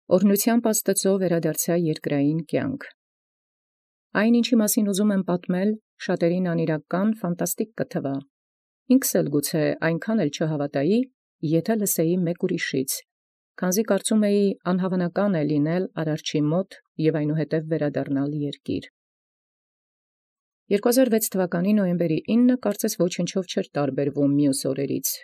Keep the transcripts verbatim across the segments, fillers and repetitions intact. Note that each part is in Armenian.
Օրհնութեամբ Աստուծոյ վերադարձայ երկրային կյանք։ Այն, ինչի մասին ուզում եմ պատմել, շատերին անիրական, ֆանտաստիկ կթվա։ Ինքս էլ գուցե այնքան էլ չհավատայի, եթե լսեի մեկ ուրիշից, քանզի կարծում էի անհավանական է լինել Արարչի մոտ և այնուհետև վերադառնալ երկիր։ երկու հազար վեց թվականի նոյեմբերի ինը կարծես ոչնչով չէր տարբերվում մյուս օրերից։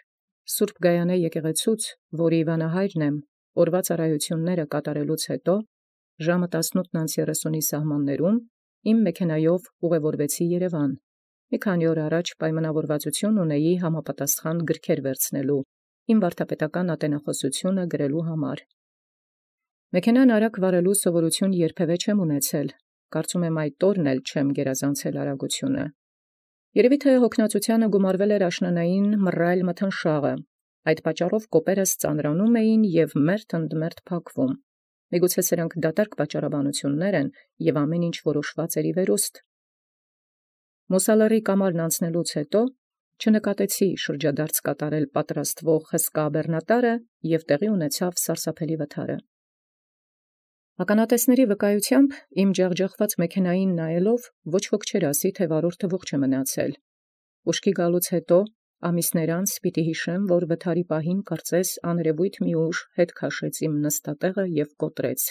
Սուրբ Գայանե եկեղեցուց, որի վանահայրն եմ, օրվա ծառայությունները կատարելուց հետո, ժամը տասնութ երեսունի սահմաններում, իմ մեքենայով ուղևորվեցի Երևան։ Մի քանի օր առաջ պայմանավորվածություն ունեի համապատասխան գրքեր վերցնելու, իմ վարդապետական ատենախոսությունը գրելու համար։ Մեքենան արագ վարելու սովորություն երբևէ չեմ ունեցել, կարծում եմ այդ օրն էլ չեմ գերազանցել արագությունը։ Երևի թե հոգնածությանը գումարվել էր աշնանային մռայլ մթնշաղը, այդ պատճառով կոպերս ծանրանում էին և մերթ ընդ մերթ փակվում։ Միգուցե սրանք դատարկ պատճառաբանություններ են և ամեն ինչ որոշված էր ի վերուստ։ Մոսալարի կամարն անցնելուց հետո չնկատեցի շրջադարձ կատարել պատրաստվող հսկա բեռնատարը և տեղի ունեցավ սարսափելի վթարը։ Ականատեսների վկայությամբ իմ ջախջախված մեքենային նայելով ոչ ոք չէր ասի, թե վարորդը ողջ է մնացել։ Ուշքի գալուց հետո ամիսներ անց պիտի հիշեմ, որ վթարի պահին կարծես աներևույթ մի ուժ հետ քաշեց իմ նստատեղը և կոտրեց։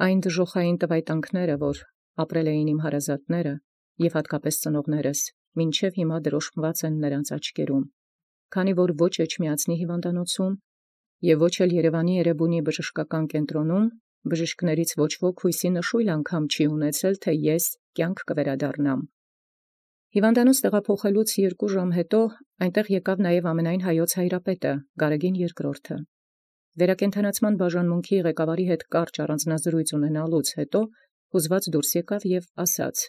Այն դժոխային տվայտանքները, որ ապրել էին իմ հարազատները և հատկապես ծնողներս, մինչև հիմա դրոշմված են նրանց աչքերում, քանի որ ոչ Էջմիածնի հիվանդանոցում և ոչ էլ Երևանի Էրեբունի բժշկական կենտրոնում բժիշկներից ոչ ոք հույսի նշույլ անգամ չի ունեցել, թե ես կյանք կվերադառնամ։ Հիվանդանոց տեղափոխելուց երկու ժամ հետո այնտեղ եկավ նաև ամենայն հայոց հայրապետը, Գարեգին երկրորդը։ Վերակենդանացման բաժանմունքի ղեկավարի հետ կարճ առանձնազրույց ունենալուց հետո հուզված դուրս եկավ և ասաց.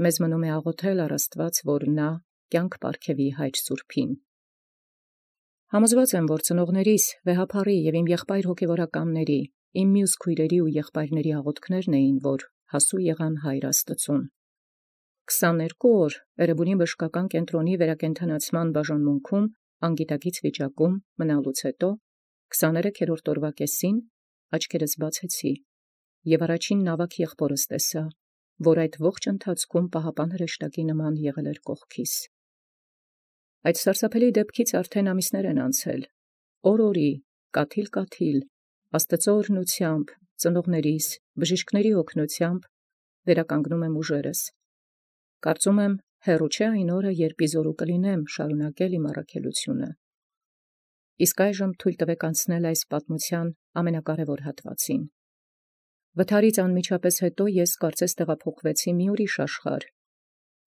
«Մեզ մնում է աղոթել առ Աստված, որ նա կյանք պարգևի հայր սուրբին»։ Համոզված եմ, որ ծնողներիս, վեհափառի և իմ եղբայր հոգևորականների, իմ մյուս քույրերի ու եղբայրների աղոթքներն էին, որ հասու եղան հայր Աստծուն։ Քսաներկու օր Էրեբունի բժշկական կենտրոնի վերակենդանացման բաժանմունքում անգիտակից վիճակում մնալուց հետո քսաներեքերորդ օրվա կեսին աչքերս բացեցի և առաջին նավակ եղբորս տեսա, որ այդ ողջ ընթացքում պահապան հրեշտակի նման եղել էր կողքիս։ Այդ սարսափելի դեպքից արդեն ամիսներ են անցել, օր-օրի, կաթիլ-կաթիլ, Աստծո օրհնությամբ, ծնողներիս, բժիշկների օգնությամբ վերականգնում եմ ուժերս։ Կարծում եմ, հեռու չէ այն օրը, երբ իզորու կլինեմ շարունակել իմ առաքելությունը։ Իսկ այժմ թույլ տվեք անցնել այս պատմության ամենակարևոր հատվածին։ Վթարից անմիջապես հետո ես կարծես տեղափոխվեցի մի ուրիշ աշխարհ։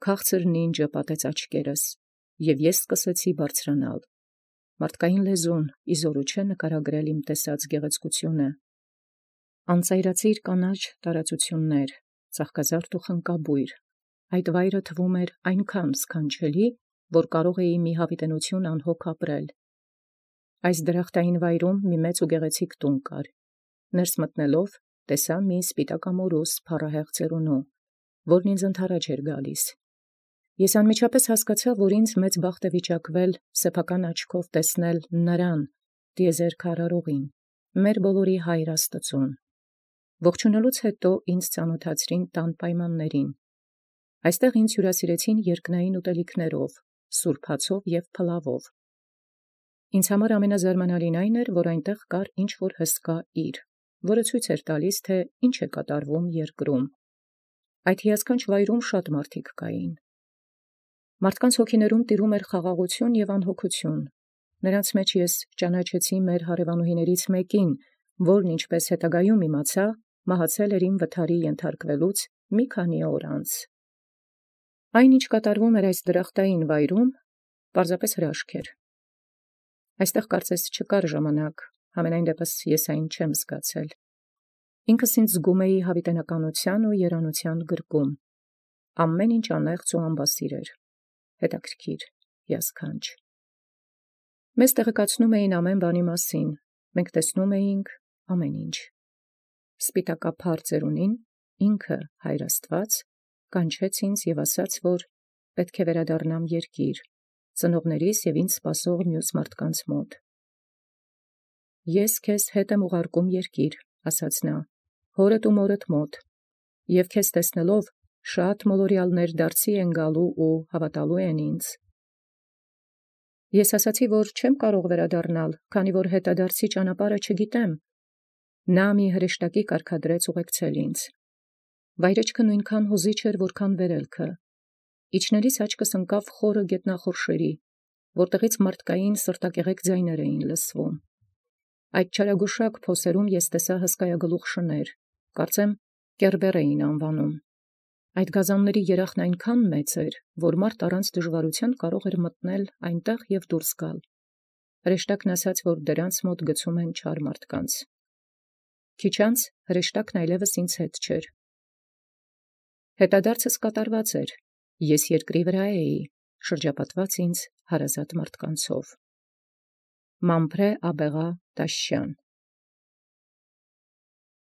Քաղցր նինջը պատեց աչքերս, և ես սկսեցի բարձրանալ։ Մարդկային լեզուն իզորու չէ նկարագրել իմ տեսած գեղեցկությունը։ Անծայրածիր կանաչ տարածություններ, ծաղկազարդ ու խնկաբույր, այդ վայրը թվում էր այնքան սքանչելի, որ կարող էի մի հավիտենություն անհոգ ապրել։ Այս դրախտային վայրում մի մեծ ու գեղեցիկ տուն կար։ Ներս մտնելով տեսա մի սպիտակամորուս փառահեղ ծերունու, որն ինձ ընդառաջ էր գալիս։ Ես անմիջապես հասկացա, որ ինձ մեծ բախտ է վիճակվել սեփական աչքով տեսնել նրան, տիեզերք արարողին, մեր բոլորի հայր Աստծուն։ Ողջունելուց հետո ինձ ծանոթացրին տան պայմաններին։ Այստեղ ինձ հյուրասիրեցին երկնային ուտելիքներով, սուրբ հացով և փլավով։ Ինձ համար ամենազարմանալին այն էր, որ այնտեղ կար ինչ-որ հսկա իր, որը ցույց էր տալիս, թե ինչ է կատարվում երկրում։ Այդ հիասքանչ վայրում շատ մարդիկ կային։ Մարդկանց հոգիներում տիրում էր խաղաղություն և անհոգություն։ Նրանց մեջ ես ճանաչեցի մեր հարևանուհիներից մեկին, որն ինչպես հետագայում իմացա, մահացել էր իմ վթարի ենթարկվելուց մի քանի օր անց։ Այն, ինչ կատարվում էր այս դրախտային վայրում, պարզապես հրաշք էր։ Այստեղ կարծես չկար ժամանակ, համենայն դեպս ես այն չեմ զգացել։ Ինքս ինձ զգում էի հավիտենականության ու երանության գրկում։ Ամեն ինչ անեղծ ու անբասիր էր, հետաքրքիր, հիասքանչ։ Մեզ տեղեկացնում էին ամեն բանի մասին, մենք տեսնում էինք ամեն ինչ։ Սպիտակափառ ծերունին, ինքը հայր Աստված, կանչեց ինձ և ասաց, որ պետք է վերադառնամ երկիր, ծնողներիս և ինձ սպասող մյուս մարդկանց մոտ։ Ես քեզ հետ եմ ուղարկում երկիր, ասաց նա, հորդ ու մորդ մոտ, և քեզ տեսնելով շատ մոլորյալներ դարձի են գալու ու հավատալու են ինձ։ Ես ասացի, որ չեմ կարող վերադառնալ, քանի որ հետադարձի ճանապարհը չգիտեմ։ Նա մի հրեշտակի կարգադրեց ուղեկցել ինձ։ Վայրեջքը նույնքան հուզիչ էր, որքան վերելքը։ Իջնելիս աչքս ընկավ խորը գետնախորշերի, որտեղից մարդկային սրտակեղեք ձայներ էին լսվում։ Այդ չարագուշակ փոսերում ես տեսա հսկայագլուխ շներ, կարծեմ կերբեր էին անվանում։ Այդ գազանների երախն այնքան մեծ էր, որ մարդ առանց դժվարության կարող էր մտնել այնտեղ և դուրս գալ։ Հրեշտակն ասաց, որ դրանց մոտ գցում են չար մարդկանց։ Քիչ անց հրեշտակն այլևս ինձ հետ չէր։ Հետադարձս կատարված էր, ես երկրի վրա էի, շրջապատված ինձ հարազատ մարդկանցով։ Մամփրե Աբեղա Տաշյան